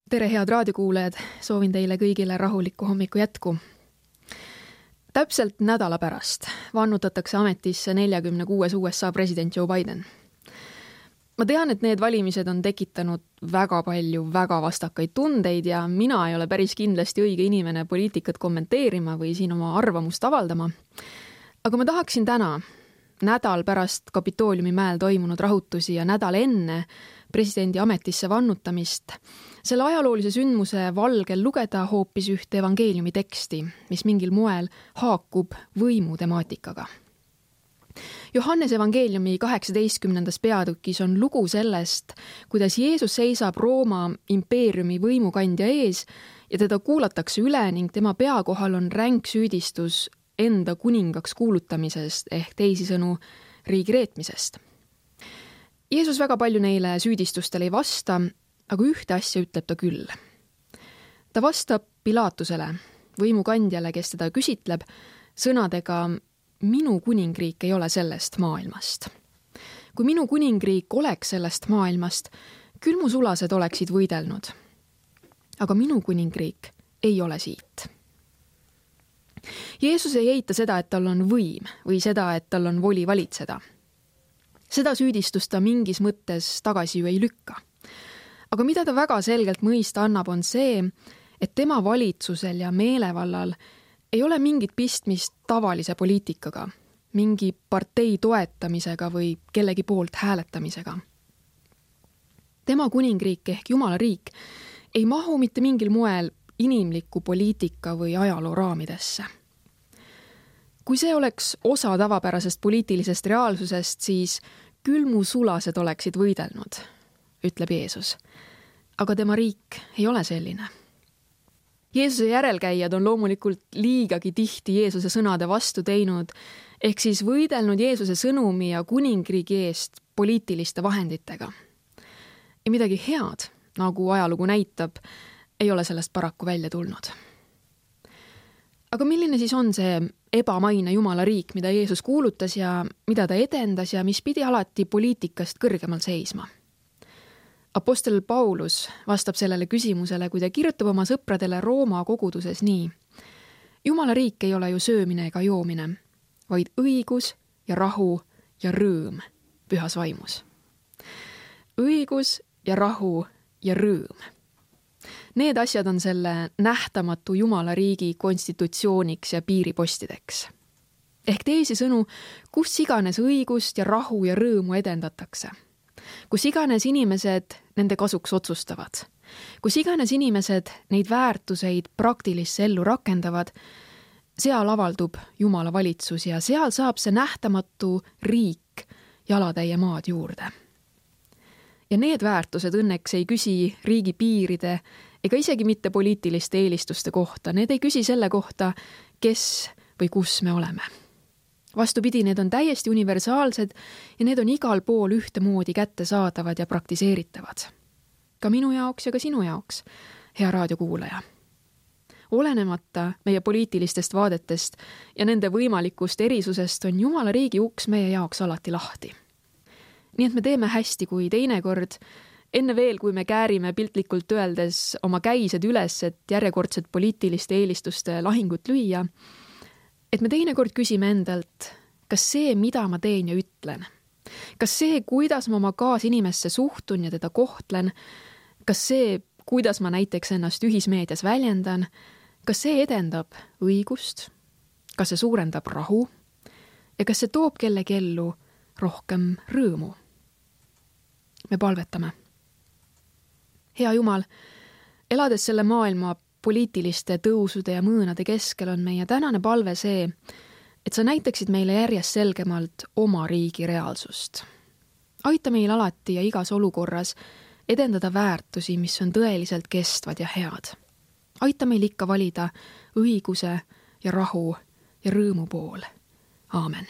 Tere, head raadiokuulajad! Soovin teile kõigile rahulikku hommiku jätku. Täpselt nädala pärast vannutatakse ametisse 46. USA president Joe Biden. Ma tean, et need valimised on tekitanud väga palju väga vastakaid tundeid ja mina ei ole päris kindlasti õige inimene poliitikat kommenteerima või siin oma arvamust avaldama. Aga ma tahaksin täna, nädal pärast Kapitooliumi mäel toimunud rahutusi ja nädal enne presidendi ametisse vannutamist, selle ajaloolise sündmuse valgel lugeda hoopis ühte evangeeliumi teksti, mis mingil moel haakub võimu temaatikaga. Johannes evangeeliumi 18. peatükis on lugu sellest, kuidas Jeesus seisab Rooma impeeriumi võimukandja ees ja teda kuulatakse üle ning tema pea kohal on ränk süüdistus enda kuningaks kuulutamisest ehk teisisõnu riigi reetmisest. Jeesus väga palju neile süüdistustele ei vasta, aga ühte asja ütleb ta küll. Ta vastab Pilatusele, võimukandjale, kes teda küsitleb, sõnadega: minu kuningriik ei ole sellest maailmast. Kui minu kuningriik oleks sellest maailmast, küll mu sulased oleksid võidelnud. Aga minu kuningriik ei ole siit. Jeesus ei eita seda, et tal on võim või seda, et tal on voli valitseda. Seda süüdistust ta mingis mõttes tagasi ju ei lükka. Aga mida ta väga selgelt mõista annab, on see, et tema valitsusel ja meelevallal ei ole mingit pistmist tavalise poliitikaga, mingi partei toetamisega või kellegi poolt hääletamisega. Tema kuningriik ehk Jumala riik ei mahu mitte mingil moel inimliku poliitika või ajaloo raamidesse. Kui see oleks osa tavapärasest poliitilisest reaalsusest, siis küll mu sulased oleksid võidelnud, ütleb Jeesus. Aga tema riik ei ole selline. Jeesuse järelkäijad on loomulikult liigagi tihti Jeesuse sõnade vastu teinud, ehk siis võidelnud Jeesuse sõnumi ja kuningriigi eest poliitiliste vahenditega. Ja midagi head, nagu ajalugu näitab, ei ole sellest paraku välja tulnud. Aga milline siis on see ebamaine Jumala riik, mida Jeesus kuulutas ja mida ta edendas ja mis pidi alati poliitikast kõrgemal seisma? Apostel Paulus vastab sellele küsimusele, kui ta kirjutab oma sõpradele Rooma koguduses nii: Jumala riik ei ole ju söömine ega joomine, vaid õigus ja rahu ja rõõm pühas vaimus. Õigus ja rahu ja rõõm. Need asjad on selle nähtamatu Jumala riigi konstitutsiooniks ja piiripostideks. Ehk teisisõnu, kus iganes õigust ja rahu ja rõõmu edendatakse. Kus iganes inimesed nende kasuks otsustavad. Kus iganes inimesed neid väärtuseid praktilisse ellu rakendavad, seal avaldub Jumala valitsus ja seal saab see nähtamatu riik jalatäie maad juurde. Ja need väärtused õnneks ei küsi riigi piiride ega isegi mitte poliitiliste eelistuste kohta. Need ei küsi selle kohta, kes või kus me oleme. Vastupidi, need on täiesti universaalsed ja need on igal pool ühtemoodi kättesaadavad ja praktiseeritavad. Ka minu jaoks ja ka sinu jaoks, hea raadiokuulaja. Olenemata meie poliitilistest vaadetest ja nende võimalikust erisusest on Jumala riigi uks meie jaoks alati lahti. Nii et me teeme hästi, kui teinekord, enne veel, kui me käärime piltlikult öeldes oma käised üles, et järjekordset poliitiliste eelistuste lahingut lüüa, et me teinekord küsime endalt, kas see, mida ma teen ja ütlen, kas see, kuidas ma oma kaasinimesse suhtun ja teda kohtlen, kas see, kuidas ma näiteks ennast ühismeedias väljendan, kas see edendab õigust, kas see suurendab rahu ja kas see toob kellegi ellu rohkem rõõmu. Me palvetame. Hea Jumal, elades selle maailma poliitiliste tõusude ja mõõnade keskel on meie tänane palve see, et sa näitaksid meile järjest selgemalt oma riigi reaalsust. Aita meil alati ja igas olukorras edendada väärtusi, mis on tõeliselt kestvad ja head. Aita meil ikka valida õiguse ja rahu ja rõõmu pool. Aamen.